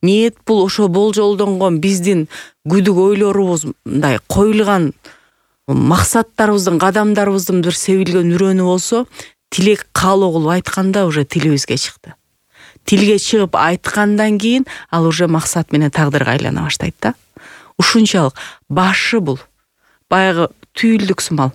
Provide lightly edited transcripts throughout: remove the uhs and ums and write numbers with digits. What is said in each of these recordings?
Ниет бул ошо болжолдонгон биздин күдүк ойлорубуз мындай коюлган максаттарыбыздын, кадамдарыбыздын бир себилген үрөнү болсо, тилек каалоо кылып айтканда уже тилибизге чыкты. Тилге чыгып айткандан кийин ал уже максат менен тагдырга айлана баштайт да. Ушунчалык башы бул. Баягы түйүлдүк сымал.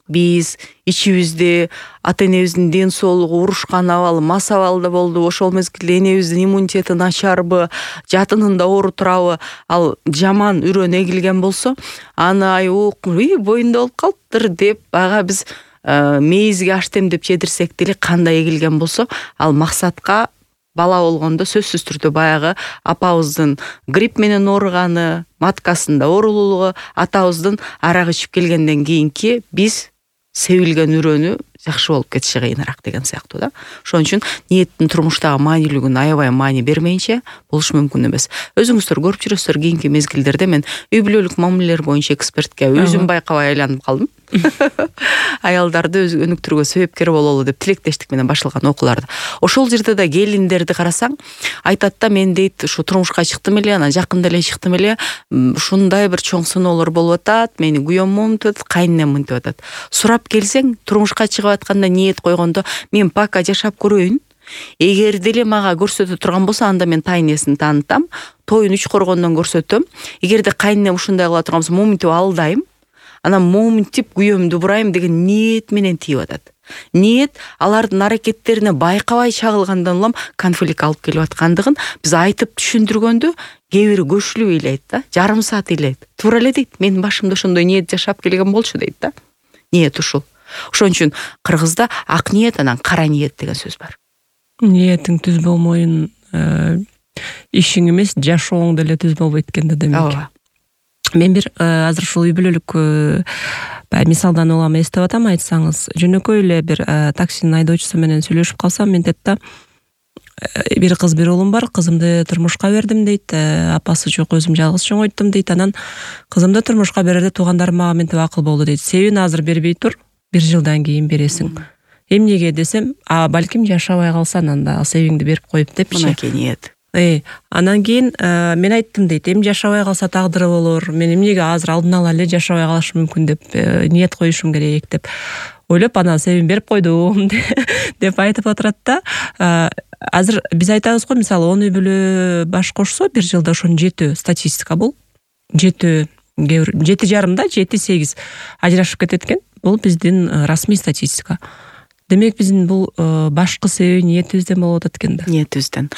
Биз ичибизде ата энебиздин ден соолугу урушкан абалы, мас абалда болду. Ошол мезгилде энебиздин иммунитети начарбы, жатынында оору турабы, ал жаман үрөн эгилген болсо, аны боюнда болуп калыптыр деп ага биз мейизге аштем деп жедирсек деле кандай эгилген болсо, ал максатка бала болгондо сөзсүз түрдө баягы апабыздын грипп менен ооруганы, маткасында оорулуулугу, атабыздын арак ичип келгенден кийинки биз себилген үрөнү жакшы болуп кетиши кыйыныраак деген сыяктуу да. Ошон үчүн ниеттин турмуштагы маанилүүлүгүн аябай маани бермейинче болуш мүмкүн эмес. Өзүңүздөр көрүп жүрөсүздөр, кийинки мезгилдерде мен үй бүлөлүк мамилелер боюнча экспертке өзүм байкабай айланып калдым. Аялдарды өнүктүрүүгө себепкер бололу деп тилектештик менен башталган окууларды. Ошол жерде да келиндерди карасаң, айтат да, мен дейт ушу турмушка чыктым эле, анан жакында эле чыктым эле, ушундай бир чоң сыноолор болуп атат, мени күйөөм монтип атат, кайненем монтип атат. Сурап келсең, турмушка чыгып атканда ниет койгондо, мен пока жашап көрөйүн. Эгер деле мага көрсөтө турган болсо, анда мен тайнесин таанытам, тоюн 3 коргондон көрсөтөм. Эгерде кайненем ушундай кыла турган болсо, моминтип алдайм. Анан моминтип күйөөмдү бурайм деген ниет менен тийип атат. Ниет алардын аракеттерине байкабай чагылгандан улам конфликт алып келип аткандыгын биз айтып түшүндүргөндө кээ бири көчүлүп ыйлайт да, жарым саат ыйлайт. Туура эле дейт, менин башымда ошондой ниет жашап келген болчу дейт да. Ниет ушул. Ошон үчүн кыргызда ак ниет анан кара ниет деген сөз бар. Ниетиң түз болмойун, ишиң эмес, жашооң деле түз болбойт экен да демек. Мен бир азыр ушул үй бүлөлүк мисалдан улам эстеп атам, айтсаңыз. Жөнөкөй эле бир таксинин айдоочусу менен сүйлөшүп калсам, мен дейт да, бир кыз, бир уулум бар, кызымды турмушка бердим дейт, апасы жок, өзүм жалгыз чоңойттум дейт. Анан кызымды турмушка берерде туугандарым мага мынтип акыл болду дейт. Себебин азыр бербей тур, 1 жылдан кийин бересиң. Эмнеге десем, балким жашабай калсаң анда себиңди берип коюп депчи. Мынакей ниет. Анан кийин мен айттым дейт, эми жашабай калса тагдыры болор, мен эмнеге азыр алдын ала эле жашабай калышым мүмкүн деп ниет коюшум керек деп ойлоп, анан себебин берип койдум деп айтып отурат да. Азыр биз айтабыз го, мисалы 10 үй бүлө баш кошсо 1 жылда ошонун 7 статистика бул. 7,5 да, 7-8 ажырашып кетет экен. Бул биздин расмий статистика. Демек биздин бул башкы себеби ниетибизден болуп атат экен да. Ниетибизден.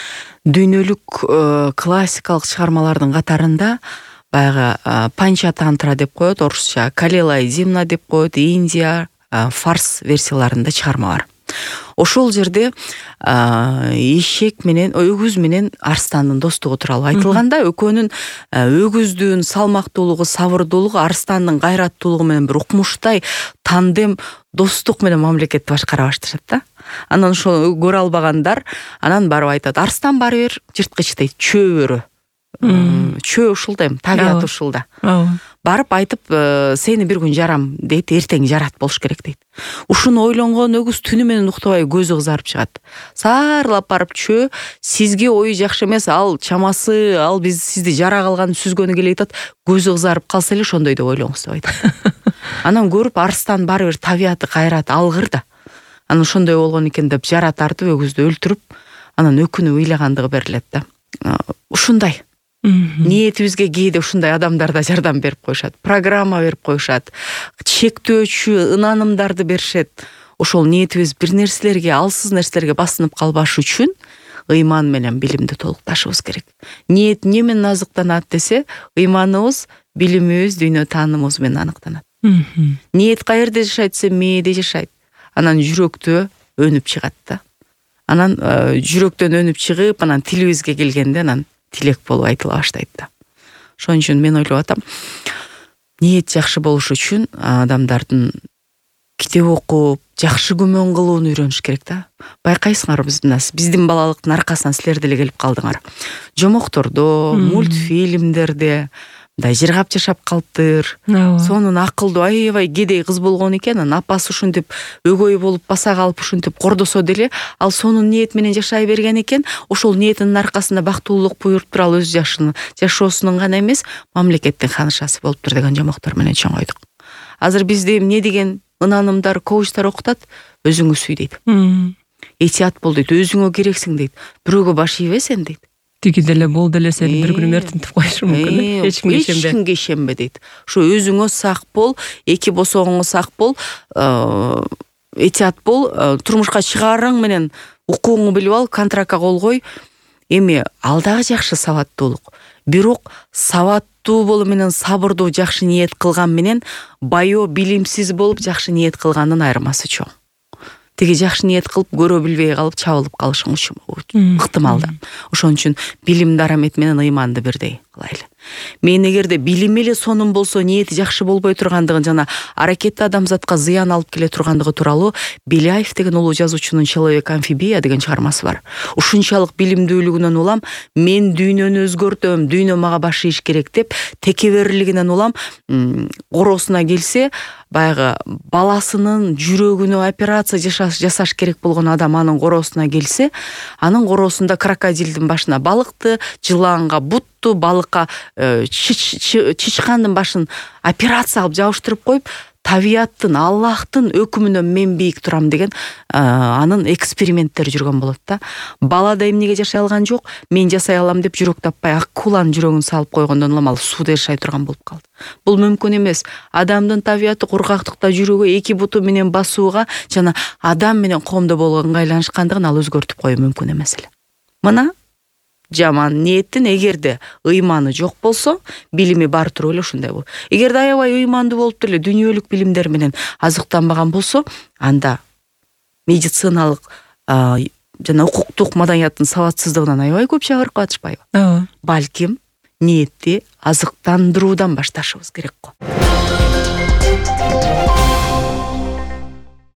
Дүйнөлүк классикалык чыгармалардын катарында баягы Панчатантра деп коет, орусча Калила и Зимна деп коет, Индия, фарс версияларында чыгарма бар. Ошол жерде эшек менен, өгүз менен арстандын достугу тууралуу айтылганда, экөөнүн өгүздүн салмактуулугу, сабырдуулугу, арстандын кайраттуулугу менен бир укмуштай тандем достук менен мамлекетти башкара башташат да. Анан ошону көрө албагандар анан барып айтат, арстан баары бир жырткыч дейт, чөө өрө. Чөө ушулда эми, табият ушулда. Барып айтып, сени бир күн жарам дейт, эртең жарат болуш керек дейт. Ушуну ойлонгон өгүз түнү менен уктабай көзү кызарып чыгат. Саарлап барып чөө, сизге ою жакшы эмес, ал чамасы, ал биз сизди жара калган сүзгөнү келет атат, көзү кызарып калса эле ошондой деп ойлоңуз деп айтат. Анан көрүп, арстан баары бир табияты кайрат, алгыр да. Анан ошондой болгон экен деп жара тартып, өгүздү өлтүрүп, анан өкүнүп ыйлагандыгы берилет да. Ушундай. Ниетибизге кээде ушундай адамдар да жардам берип коюшат, программа берип коюшат, чектөөчү ынанымдарды беришет. Ошол ниетибиз бир нерселерге, алсыз нерселерге басынып калбаш үчүн ыйман менен билимди толукташыбыз керек. Ниет эмне менен азыктанат десе, ыйманыбыз, билимибиз, дүйнө таанымыбыз менен аныктанат. Ниет каерде жашайт десе, мээде жашайт. Анан жүрөктө өнүп чыгат да. Анан жүрөктөн өнүп чыгып, анан тилибизге келгенде анан тилек болуп айтыла баштайт да. Ошон үчүн мен ойлоп атам, ниет жакшы болуш үчүн адамдардын китеп окуп, жакшы күмөн кылууну үйрөнүш керек да. Байкайсыңар, биздин балалыктын аркасынан силер деле келип калдыңар. Жомоктордо, мультфильмдерде, мындай жыргап жашап калыптыр. Сонун акылдуу аябай кедей кыз болгон экен. Анын апасы ушинтип өгөй болуп баса калып ушинтип кордосо деле ал сонун ниет менен жашай берген экен. Ошол ниетинин аркасында бактылуулук буйруптур. Ал өз жашоосунун гана эмес, мамлекеттин ханышасы болуптур деген жомоктор менен чоңойдук. Азыр бизде эмне деген ынанымдар, коучтар окутат? Өзүңө сүй дейт. Этият бол дейт, өзүңө керексиң дейт. Бирөөгө баш ийбе сен дейт. Тиги деле бол деле сени бир күнү мертинтип коюшу мүмкүн. Эч кимге ишенбе дейт. Ошо өзүңө сак бол, эки босогоңо сак бол, этият бол, турмушка чыгаарың менен укугуңду билип ал, контрактка кол кой. Эми ал дагы жакшы сабаттуулук. Бирок сабаттуу болуу менен сабырдуу жакшы ниет кылган менен байоо билимсиз болуп жакшы ниет кылгандын айырмасы чоң. Тиги жакшы ниет кылып көрө билбей калып чабылып калышың ыктымал да. Ошон үчүн билим дарамет менен ыйманды бирдей кылайлы. Мен эгерде билими эле сонун болсо, ниети жакшы болбой тургандыгын жана аракети адамзатка зыян алып келе тургандыгы тууралуу Беляев деген улуу жазуучунун «Человек-амфибия» деген чыгармасы бар. Ушунчалык билимдүүлүгүнөн улам мен дүйнөнү өзгөртөм, дүйнө мага баш ийиш керек деп текеберлигинен улам короосуна келсе, баягы баласынын жүрөгүнө операция жасаш керек болгон адам анын короосуна келсе, анын короосунда крокодилдин башына балыкты, жыланга бутту, балыкка чычкандын башын операция кылып жабыштырып коюп, табияттын, Аллахтын өкүмүнөн мен бийик турам деген анын эксперименттери жүргөн болот да. Балада эмнеге жашай алган жок, мен жасай алам деп жүрөк таппай акуланын жүрөгүн салып койгондон улам ал сууда жашай турган болуп калды. Бул мүмкүн эмес. Адамдын табияты кургактыкта жүрүүгө, эки буту менен басууга жана адам менен коомдо болгон ыңгайланышкандыгын ал өзгөртүп коюу мүмкүн эмес эле. Мына жаман ниеттин эгерде ыйманы жок болсо, билими бар туруп эле ушундай болот. Эгерде аябай ыймандуу болуп деле дүйнөлүк билимдер менен азыктанбаган болсо, анда медициналык жана укуктук маданияттын сабатсыздыгынан аябай көп чыгарып калышпайбы? Балким ниетти азыктандыруудан башташыбыз керек го.